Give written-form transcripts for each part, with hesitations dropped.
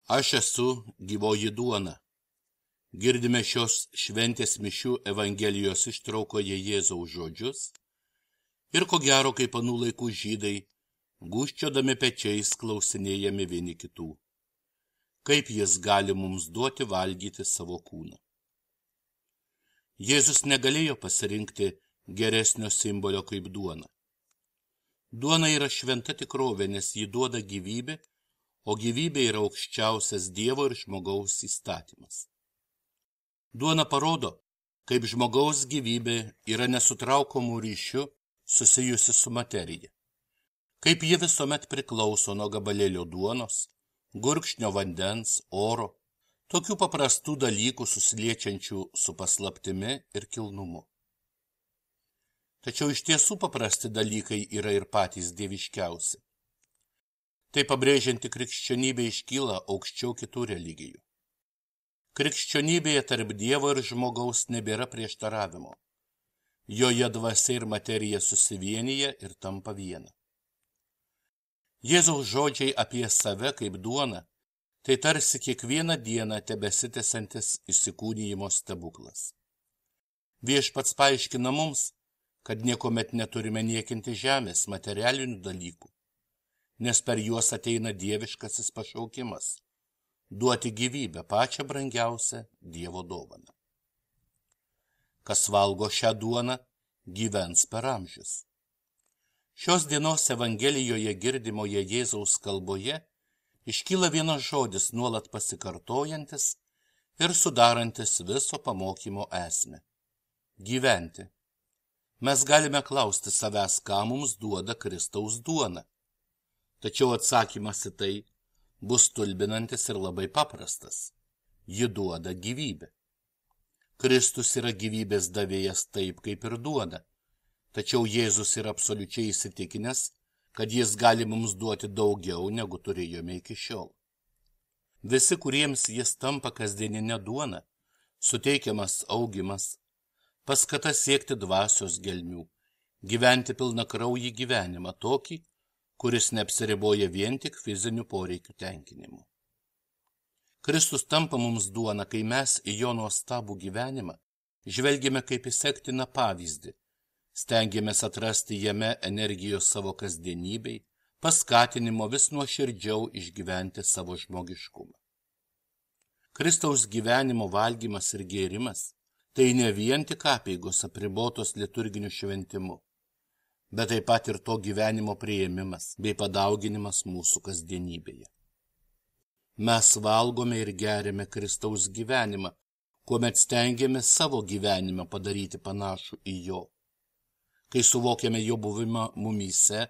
Aš esu gyvoji duona. Girdime šios šventės mišių Evangelijos ištraukoje Jėzaus žodžius ir ko gero, kaip anų laikų žydai, gūžčiodami pečiais klausinėjami vieni kitų. Kaip jis gali mums duoti valgyti savo kūną? Jėzus negalėjo pasirinkti geresnio simbolio kaip duona. Duona yra šventa tikrovė, nes ji duoda gyvybę, o gyvybė yra aukščiausias Dievo ir žmogaus įstatymas. Duona parodo, kaip žmogaus gyvybė yra nesutraukomų ryšių susijusi su materija, kaip ji visuomet priklauso nuo gabalėlio duonos, gurkšnio vandens, oro, tokių paprastų dalykų susiliečiančių su paslaptimi ir kilnumu. Tačiau iš tiesų paprasti dalykai yra ir patys dieviškiausi. Tai pabrėžianti krikščionybė iškyla aukščiau kitų religijų. Krikščionybėje tarp Dievo ir žmogaus nebėra prieštaravimo. Joje dvasia ir materija susivienyje ir tampa viena. Jėzaus žodžiai apie save kaip duoną, tai tarsi kiekvieną dieną tebesitęsiantis įsikūnijimo stebuklas. Viešpats paaiškina mums, kad niekuomet neturime niekinti žemės materialinių dalykų, nes per juos ateina dieviškasis pašaukimas – duoti gyvybę, pačią brangiausią Dievo dovaną. Kas valgo šią duoną, gyvens per amžius. Šios dienos Evangelijoje girdimoje Jėzaus kalboje iškyla vienas žodis nuolat pasikartojantis ir sudarantis viso pamokymo esmę – gyventi. Mes galime klausti savęs, ką mums duoda Kristaus duona. Tačiau atsakymas į tai bus stulbinantis ir labai paprastas. Ji duoda gyvybę. Kristus yra gyvybės davėjas taip, kaip ir duoda. Tačiau Jėzus yra absoliučiai įsitikinęs, kad jis gali mums duoti daugiau, negu turėjome iki šiol. Visi, kuriems jis tampa kasdieninė duona, suteikiamas augimas, paskata siekti dvasios gelmių, gyventi pilnakraujį gyvenimą tokį, kuris neapsiriboja vien tik fizinių poreikių tenkinimu. Kristus tampa mums duona, kai mes į jo nuostabų gyvenimą žvelgiame kaip į sektiną pavyzdį, stengiamės atrasti jame energijos savo kasdienybei, paskatinimo vis nuoširdžiau išgyventi savo žmogiškumą. Kristaus gyvenimo valgymas ir gėrimas tai ne vien tik apeigos apribotos liturginiu šventimu, bet taip pat ir to gyvenimo priėmimas bei padauginimas mūsų kasdienybėje. Mes valgome ir geriame Kristaus gyvenimą, kuomet stengiamės savo gyvenimą padaryti panašų į jo, kai suvokiame jo buvimą mumyse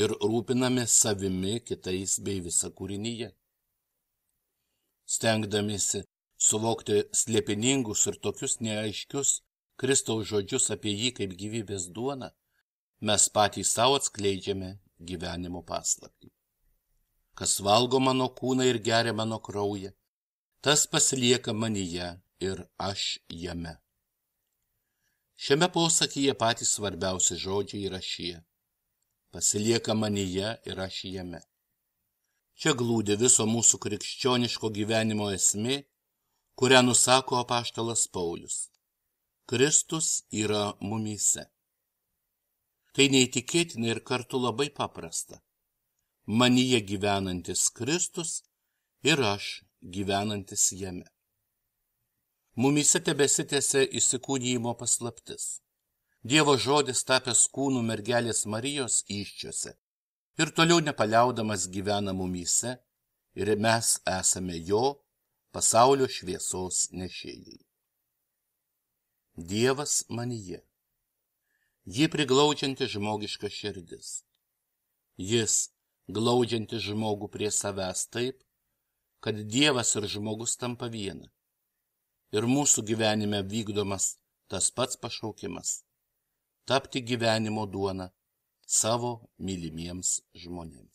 ir rūpiname savimi, kitais bei visa kūrinyje. Stengdamiesi suvokti slėpiningus ir tokius neaiškius Kristaus žodžius apie jį kaip gyvybės duoną, mes patys savo atskleidžiame gyvenimo paslaptį. Kas valgo mano kūną ir geria mano kraują, tas pasilieka manyje ir aš jame. Šiame posakyje patys svarbiausi žodžiai yra šie. Pasilieka manyje ir aš jame. Čia glūdi viso mūsų krikščioniško gyvenimo esmė, kurią nusako apaštalas Paulius. Kristus yra mumyse. Tai neįtikėtina ir kartu labai paprasta. Manyje gyvenantis Kristus ir aš gyvenantis jame. Mumyse tebesitęsia įsikūnijimo paslaptis. Dievo žodis tapęs kūnų mergelės Marijos įsčiose ir toliau nepaliaudamas gyvena mumyse ir mes esame jo pasaulio šviesos nešėjai. Dievas manyje. Ji priglaudžianti žmogiška širdis. Jis glaudžianti žmogų prie savęs taip, kad Dievas ir žmogus tampa viena. Ir mūsų gyvenime vykdomas tas pats pašaukimas – tapti gyvenimo duona savo mylimiems žmonėms.